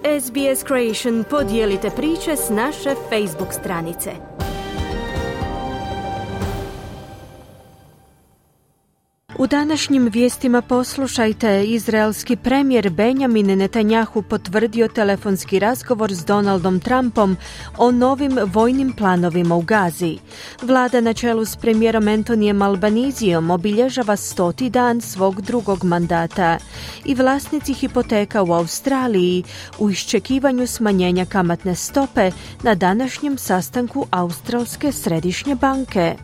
SBS Creation, podijelite priče s naše Facebook stranice. U današnjim vijestima poslušajte, izraelski premijer Benjamin Netanjahu potvrdio telefonski razgovor s Donaldom Trumpom o novim vojnim planovima u Gazi. Vlada na čelu s premijerom Antonijem Albanizijom obilježava 100. dan svog drugog mandata i vlasnici hipoteka u Australiji u iščekivanju smanjenja kamatne stope na današnjem sastanku Australske središnje banke.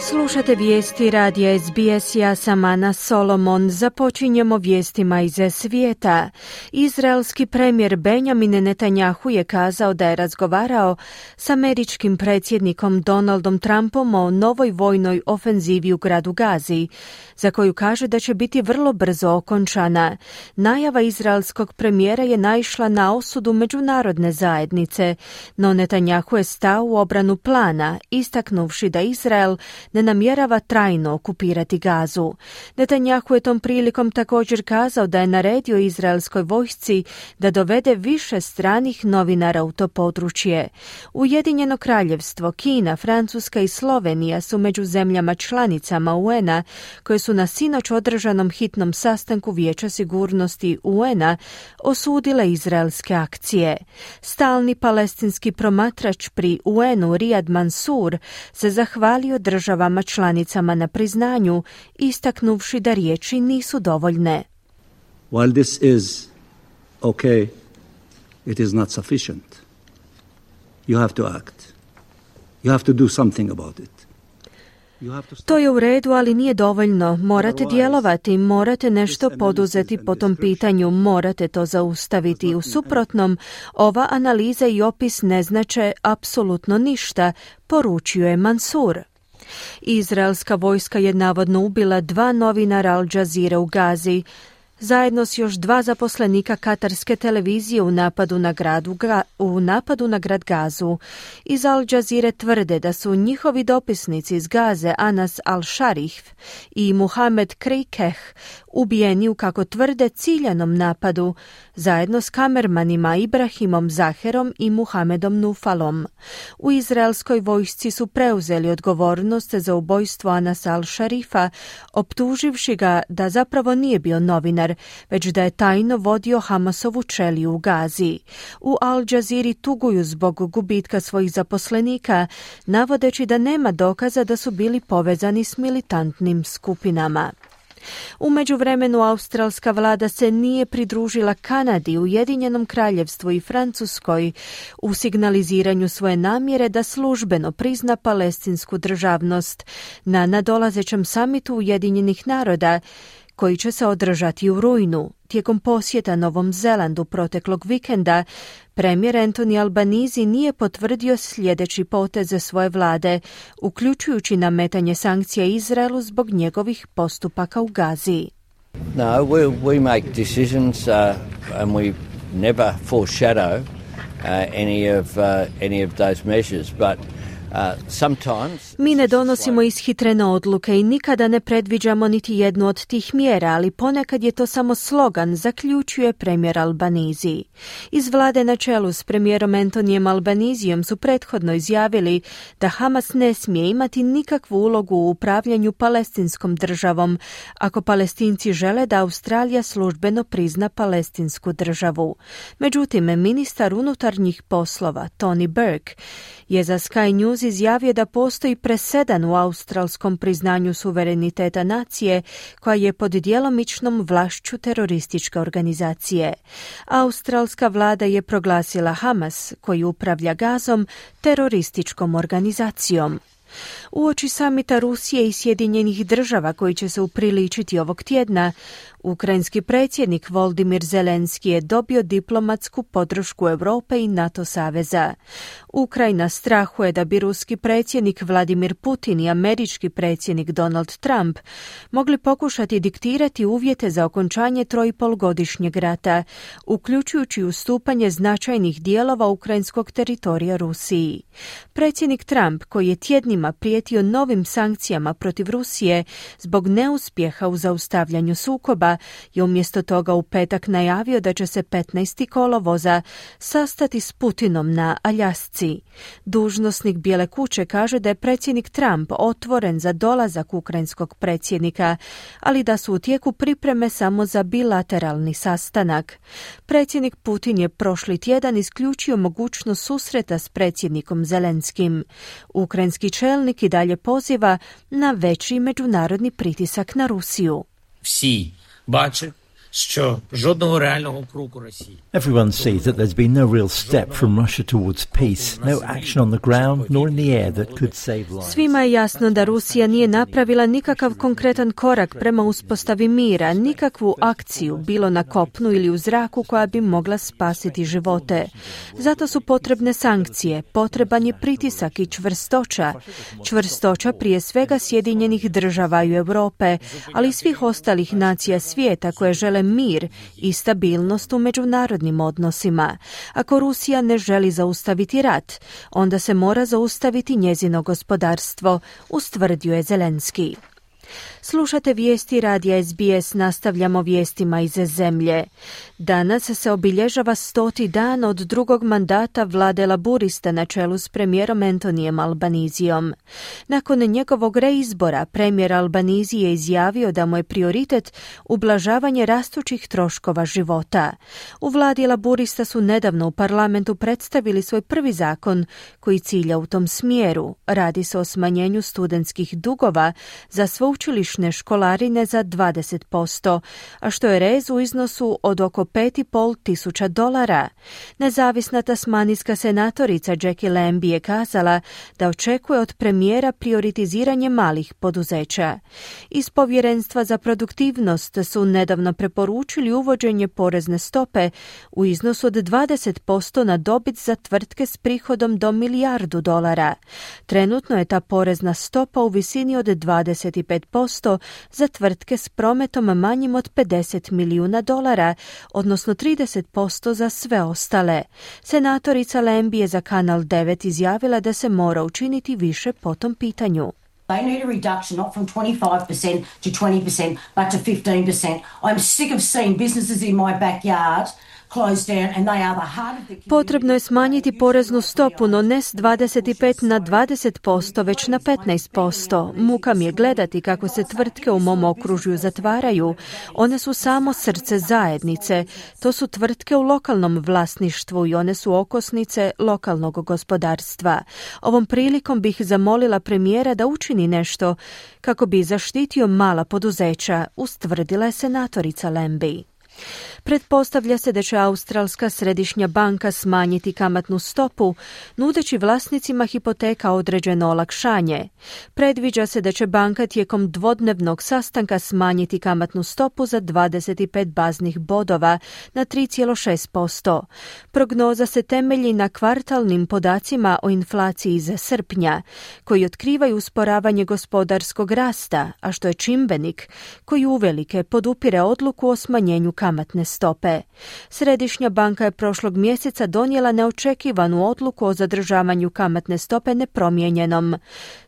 Slušate vijesti radija SBS, ja sam Ana Solomon. Započinjemo vijestima iz svijeta. Izraelski premijer Benjamin Netanjahu je kazao da je razgovarao s američkim predsjednikom Donaldom Trumpom o novoj vojnoj ofenzivi u gradu Gazi, za koju kaže da će biti vrlo brzo okončana. Najava izraelskog premijera je naišla na osudu međunarodne zajednice, no Netanjahu je stao u obranu plana, istaknuvši da Izrael ne namjerava trajno okupirati Gazu. Netanjahu je tom prilikom također kazao da je naredio izraelskoj vojsci da dovede više stranih novinara u to područje. Ujedinjeno kraljevstvo, Kina, Francuska i Slovenija su među zemljama članicama UN-a koje su na sinoć održanom hitnom sastanku Vijeća sigurnosti UN-a osudile izraelske akcije. Stalni palestinski promatrač pri UN-u Riyad Mansour se zahvalio državama članicama na priznanju, istaknuvši da riječi nisu dovoljne. While this is okay, it is not sufficient. You have to act. You have to do something about it. To je u redu, ali nije dovoljno. Morate djelovati, morate nešto poduzeti po tom pitanju, morate to zaustaviti. U suprotnom, ova analiza i opis ne znače apsolutno ništa, poručio je Mansur. Izraelska vojska je navodno ubila 2 novinara Al Jazeere u Gazi, zajedno s još 2 zaposlenika katarske televizije u napadu na grad Gazu. Iz Al Jazeere tvrde da su njihovi dopisnici iz Gaze Anas al-Sharif i Muhamed Krikeh ubijeni u, kako tvrde, ciljanom napadu, zajedno s kamermanima Ibrahimom Zaherom i Muhamedom Nufalom. U izraelskoj vojsci su preuzeli odgovornost za ubojstvo Anasa al-Sharifa, optuživši ga da zapravo nije bio novinar, već da je tajno vodio Hamasovu čeliju u Gazi. U Al Jazeeri tuguju zbog gubitka svojih zaposlenika, navodeći da nema dokaza da su bili povezani s militantnim skupinama. U međuvremenu australska vlada se nije pridružila Kanadi, Ujedinjenom kraljevstvu i Francuskoj u signaliziranju svoje namjere da službeno prizna palestinsku državnost na nadolazećem samitu Ujedinjenih naroda, koji će se održati u rujnu. Tijekom posjeta Novom Zelandu proteklog vikenda, premijer Antoni Albanizi nije potvrdio sljedeći poteze svoje vlade, uključujući nametanje sankcija Izraelu zbog njegovih postupaka u Gazi. No, we make decisions and we never foreshadow any of those measures, but mi ne donosimo ishitrene odluke i nikada ne predviđamo niti jednu od tih mjera, ali ponekad je to samo slogan, zaključuje premijer Albanizi. Iz vlade na čelu s premijerom Antonijem Albanizijom su prethodno izjavili da Hamas ne smije imati nikakvu ulogu u upravljanju palestinskom državom, ako Palestinci žele da Australija službeno prizna palestinsku državu. Međutim, ministar unutarnjih poslova Tony Burke je za Sky News izjavio da postoji presedan u australskom priznanju suvereniteta nacije koja je pod djelomičnom vlašću terorističke organizacije. Australska vlada je proglasila Hamas, koji upravlja Gazom, terorističkom organizacijom. Uoči samita Rusije i Sjedinjenih država koji će se upriličiti ovog tjedna, ukrajinski predsjednik Volodymyr Zelenski je dobio diplomatsku podršku Europe i NATO saveza. Ukrajina strahuje da bi ruski predsjednik Vladimir Putin i američki predsjednik Donald Trump mogli pokušati diktirati uvjete za okončanje 3,5-godišnjeg rata, uključujući ustupanje značajnih dijelova ukrajinskog teritorija Rusiji. Predsjednik Trump, koji je tjednima Obama prijetio novim sankcijama protiv Rusije zbog neuspjeha u zaustavljanju sukoba i umjesto toga u petak najavio da će se 15. kolovoza sastati s Putinom na Aljasci. Dužnosnik Bijele kuće kaže da je predsjednik Trump otvoren za dolazak ukrajinskog predsjednika, ali da su u tijeku pripreme samo za bilateralni sastanak. Predsjednik Putin je prošli tjedan isključio mogućnost susreta s predsjednikom Zelenskim. Ukrajinski čelnik i dalje poziva na veći međunarodni pritisak na Rusiju. Всі бачать, що жодного реального кроку Росії. Everyone sees that there's been no real step from Russia towards peace, no action on the ground nor in the air that could save lives. Svima je jasno da Rusija nije napravila nikakav konkretan korak prema uspostavi mira, nikakvu akciju, bilo na kopnu ili u zraku, koja bi mogla spasiti živote. Zato su potrebne sankcije, potreban je pritisak i čvrstoća. Čvrstoća prije svega Sjedinjenih država i Europe, ali i svih ostalih nacija svijeta koje žele mir i stabilnost u međunarodnim odnosima. Ako Rusija ne želi zaustaviti rat, onda se mora zaustaviti njezino gospodarstvo, ustvrdio je Zelenski. Slušate vijesti radija SBS, nastavljamo vijestima iz zemlje. Danas se obilježava 100. dan od drugog mandata vlade Laburista na čelu s premijerom Antonijem Albanizijom. Nakon njegovog reizbora, premijer Albanizije je izjavio da mu je prioritet ublažavanje rastućih troškova života. U vladi Laburista su nedavno u parlamentu predstavili svoj prvi zakon koji cilja u tom smjeru. Radi se o smanjenju studentskih dugova za sveučilišne školarine za 20%, a što je rez u iznosu od oko $5.500. Nezavisna tasmanijska senatorica Jackie Lambie je kazala da očekuje od premijera prioritiziranje malih poduzeća. Iz Povjerenstva za produktivnost su nedavno preporučili uvođenje porezne stope u iznosu od 20% na dobit za tvrtke s prihodom do $1 milijardu. Trenutno je ta porezna stopa u visini od 25% za tvrtke s prometom manjim od $50 milijuna, odnosno 30% za sve ostale. Senatorica Lambie je za Kanal 9 izjavila da se mora učiniti više po tom pitanju. They need a reduction not from 25% to 20%, but to 15%. I'm sick of seeing businesses in my backyard closed down and they are the heart of the community. Potrebno je smanjiti poreznu stopu, no ne s 25 na 20%, već na 15%. Muka mi je gledati kako se tvrtke u mom okružju zatvaraju. One su samo srce zajednice. To su tvrtke u lokalnom vlasništvu i one su okosnice lokalnog gospodarstva. Ovom prilikom bih zamolila premijera da učini nešto kako bi zaštitio mala poduzeća, ustvrdila je senatorica Lambie. Pretpostavlja se da će Australska središnja banka smanjiti kamatnu stopu, nudeći vlasnicima hipoteka određeno olakšanje. Predviđa se da će banka tijekom dvodnevnog sastanka smanjiti kamatnu stopu za 25 baznih bodova na 3,6%. Prognoza se temelji na kvartalnim podacima o inflaciji iz srpnja, koji otkrivaju usporavanje gospodarskog rasta, a što je čimbenik koji uvelike podupire odluku o smanjenju kamatne stope. Središnja banka je prošlog mjeseca donijela neočekivanu odluku o zadržavanju kamatne stope nepromijenjenom.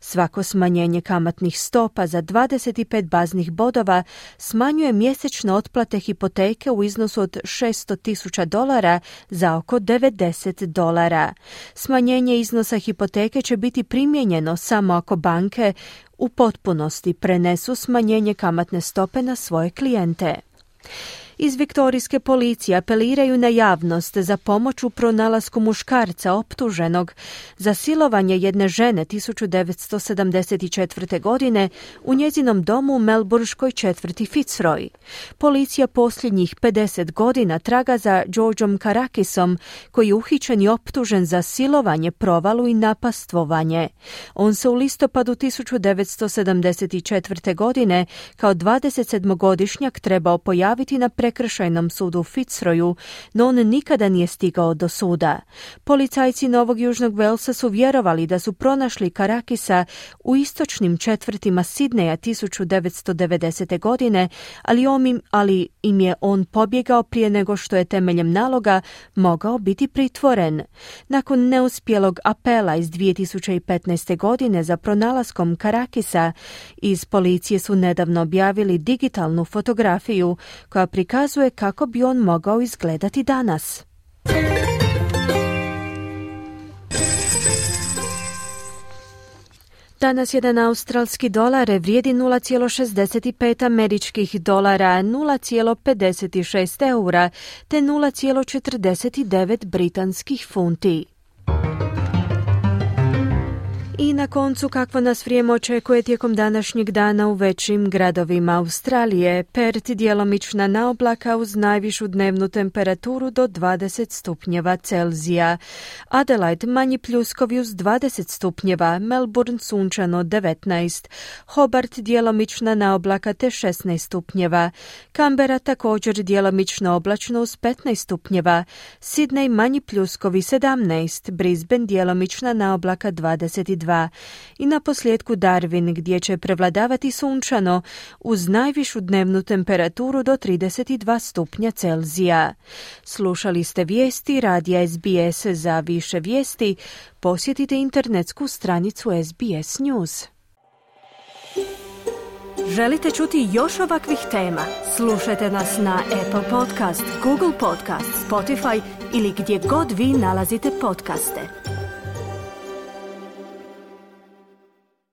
Svako smanjenje kamatnih stopa za 25 baznih bodova smanjuje mjesečne otplate hipoteke u iznosu od $600,000 za oko $90. Smanjenje iznosa hipoteke će biti primijenjeno samo ako banke u potpunosti prenesu smanjenje kamatne stope na svoje klijente. Iz viktorijske policije apeliraju na javnost za pomoć u pronalasku muškarca optuženog za silovanje jedne žene 1974. godine u njezinom domu u melburškoj četvrti Fitzroy. Policija posljednjih 50 godina traga za Georgeom Karakisom, koji je uhićen i optužen za silovanje, provalu i napastvovanje. On se u listopadu 1974. godine kao 27-godišnjak trebao pojaviti na prekršajnom sudu u Fitzroyu, no on nikada nije stigao do suda. Policajci Novog Južnog Walesa su vjerovali da su pronašli Karakisa u istočnim četvrtima Sidneja 1990. godine, ali im je on pobjegao prije nego što je temeljem naloga mogao biti pritvoren. Nakon neuspjelog apela iz 2015. godine za pronalaskom Karakisa, iz policije su nedavno objavili digitalnu fotografiju koja prikazuje kako bi on mogao izgledati danas. Danas jedan australski dolar vrijedi 0,65 američkih dolara, 0,56 eura te 0,49 britanskih funti. I na koncu, kakvo nas vrijeme očekuje tijekom današnjeg dana u većim gradovima Australije. Perth djelomična naoblaka uz najvišu dnevnu temperaturu do 20 stupnjeva Celzija. Adelaide manji pljuskovi uz 20 stupnjeva, Melbourne sunčano 19, Hobart djelomična naoblaka te 16 stupnjeva, Canberra također djelomično oblačno uz 15 stupnjeva, Sydney manji pljuskovi 17, Brisbane djelomična naoblaka 22. I na posljedku Darwin gdje će prevladavati sunčano uz najvišu dnevnu temperaturu do 32 stupnja Celzija. Slušali ste vijesti radija SBS. Za više vijesti posjetite internetsku stranicu SBS News. Želite čuti još ovakvih tema? Slušajte nas na Apple Podcast, Google Podcast, Spotify ili gdje god vi nalazite podcaste.